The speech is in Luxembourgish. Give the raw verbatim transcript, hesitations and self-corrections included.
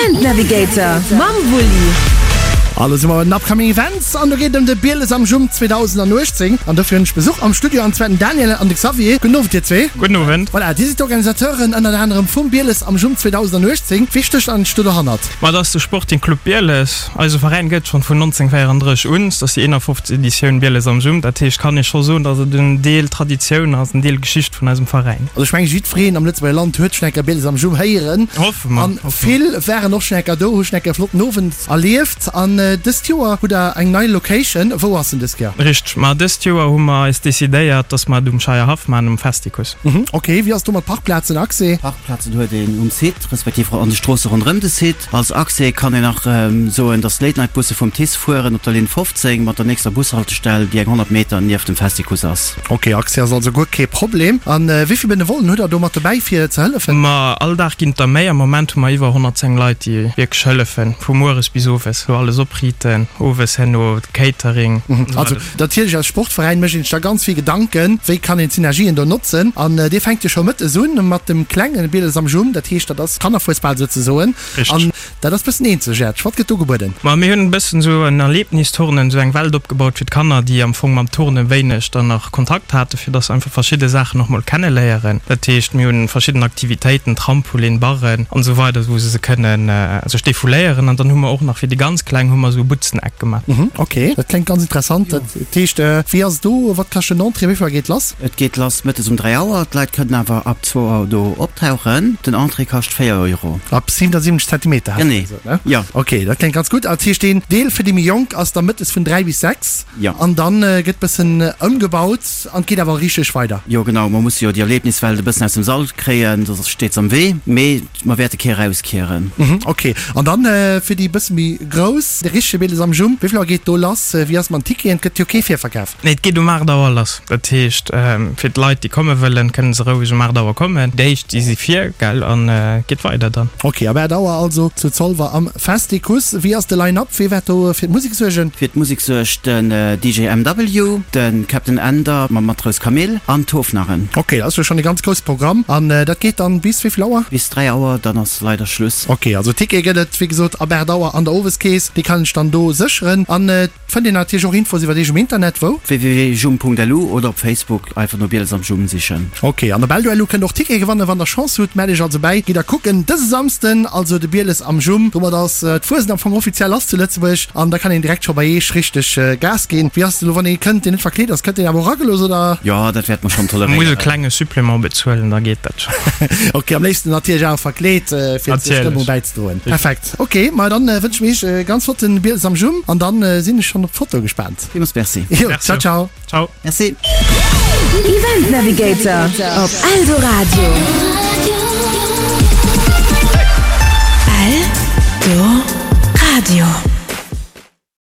Event Navigator mam Wulli. An do si mer bei den Upcoming Events an do geet et ëm de Bieles am Jump zweedausendanuechtzéng an dofir hunn ech Besuch am Studio an zwar den Daniel an de Xavier. Gudden Owend dir zwee. Gudden Owend. Voilà, dir sidd d'Organisateuren ënnert anerem vum Bieles am Jump zweedausendanuechtzéng. Wee stécht eigentlech do dohannert? Ma et ass de Sporting Club Bieles. Eise Veräin gëtt schonn vun nonzénhunnertvéierandrësseg un. Et ass déi eenafofzeg Editioun Bieles am Jump. Dat heescht, kann ee scho soen, datt et en Deel Traditioun ass, en Deel Geschicht vun eisem Veräin. Also ech mengen jiddwereen am Lëtzebuerger Land huet schonn eng Kéier Bieles am Jump héieren. Hoffe mer. An vill waren och schonn eng Kéier do, hu schonn eng Kéier e flotten Owend erlieft. An dëst Joer hutt der eng nei Location. Wou ass en dës Kéier? Richteg. Ma dëst Joer hu mer eis decidéiert, dass mer et um Scheierhaff maachen, um Festicus. Mhm, ok. Wéi ass et do mat Parkplazen, Accès? Parkplazen huet een um Site, respektiv an de Stroosse ronderëm de Site. Als Accès kann een nach soen, dass d'Late-Night-Busse vum TICE fueren op der Linn fofzéng mat der nächster Bushaltestell, déi eng honnert Meter nieft dem Festicus ass. Ok, Accès ass also guer kee Problem. A wéi vill Benevollen hutt der do mat dobäi fir ze hëllefen? Ma all Dag ginn et der méi. Am Moment hu mer iwwer honnertzéng Leit, déi wierklech hëllefen, vu mueres bis owes, wou alles opriiten, owes herno Catering. Also natierlech als Sportveräin mécht een sech da ganz vill Gedanken, wéi kann een d'Synergien do notzen. An dir fänkt jo scho mëttes un mat dem klenge Bieles am Jumm, dat heescht dat ass Kannerfuesbal souzesoen. Richteg. An dat ass bëssen eenzegaarteg. Wat gëtt do gebueden? Ma mir hunn e bëssen esou en Erlebnisturnen, esou eng Welt opgebaut fir d'Kanner, déi am Fong mam Turne wéineg dann nach Kontakt haten, fir dass se einfach verschidde Saachen och mol kenneléieren. Dat heescht, mir hunn verschidden Aktivitéiten, Trampolin, Barren an esou weider, wou se se kënnen sech defouléieren. An dann hu mer och nach fir déi ganz Kleng hu mer esou e Butzeneck gemaach. Mhm, ok, dat kléngt ganz interessant. Dat heescht, wéi ass et do? Wat kascht den Entrée? Wéi vill Auer geet lass? Et geet lass mëttes um dräi Auer. D'Leit kënnen awer ab zwou Auer do optauchen. Den Entrée kascht véier Euro. Ab siwenasiwwenzeg Zentimeter, hat Genee, gesot, ne? jo. Ok, dat kléngt ganz gutt. Dat heescht, deen Deel fir déi méi Jonk ass da mëttes vun dräi bis sechs. Jo. An dann gëtt bëssen ëmgebaut an et geet awer richteg weider. Jo, genau. Mer musse jo déi Erlebniswelt e bëssen aus dem Sall kréien, soss steet se am Wee. Mee mer wäerte kee erauskieren. Mhm, ok. An dann fir déi bësse méi grouss, de richtege Bieles am Jump, wéi vill Auer geet do lass? Wéi ass et mat den Ticketen? Et gëtt jo kee Virverkaf. Nee, et geet um aacht Auer lass. Dat heescht, fir d'Leit, déi komme wëllen, kënne se roueg um aacht Auer kommen. Déi éischt, déi si vir, gell, an et geet weider dann. Ok, ab aacht Auer also zu Zolwer am Festicus. Wéi ass de Line-Up? Wee wäert do fir d'Musek suergen? Fir d'Musek suergt den D J M W, de Captain Ender mam Matrous Camille an d'Hofnarren. Ok, dat ass jo schonn e ganz grousse Programm. An dat geet dann bis wéi vill Auer? Bis dräi Auer, dann ass leider Schluss. Ok, also Tickete gëtt et wéi gesot ab aacht Auer an der Oweskeess. Déi kann ech dann do sécheren. An et fënnt een natierlech och Infos iwwer iech um Internet, wou? www.jum Punkt lu oder op Facebook einfach no Bieles am Jum sichen. Ok, an op Eldo Punkt lu kënnt der och Tickete gewannen, wann der Chance hutt. Mellt iech also bäi, gitt a kucken dëse Samsden also de Bieles am Jum. Domat ass d'Fuesent am Fong offiziell lass zu Lëtzebuerg an da kann een direkt scho bei iech richteg Gas ginn. Wéi ass et elo, wann ee kënnt, deen net verkleet ass, kënnt deen awer och eragelooss oder? Jo, dat wäerte mer schonn Muss e toleréieren. klenge Supplément bezuelen, da geet dat schonn. Ok, am léifsten natierlech awer verkleet, fir zur Stëmmung Natierlech. bäizedroen. Perfekt. Ok, ma dann wënsche mir iech e ganz flotten Bieles am Jum an dann sinn ech schonn op d'Foto gespaant. Villmools Merci. Jo, Merci. ciao, ciao. Ciao. Merci. Event Navigator op Eldoradio.